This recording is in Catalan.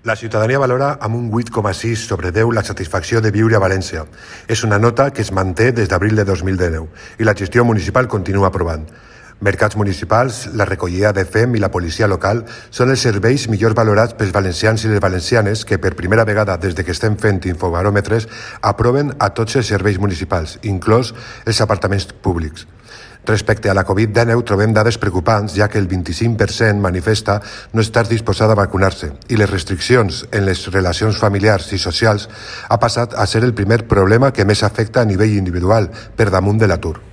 La ciutadania valora amb un 8,6 sobre 10 la satisfacció de viure a València. És una nota que es manté des d'abril de 2019 i la gestió municipal continua aprovant. Mercats municipals, la recollida de FEM i la policia local són els serveis millor valorats pels valencians i les valencianes que per primera vegada des de que estem fent infobaròmetres aproven a tots els serveis municipals, inclòs els apartaments públics. Respecte a la Covid-19 trobem dades preocupants, ja que el 25% manifesta no estar disposada a vacunar-se i les restriccions en les relacions familiars i socials ha passat a ser el primer problema que més afecta a nivell individual, per damunt de l'atur.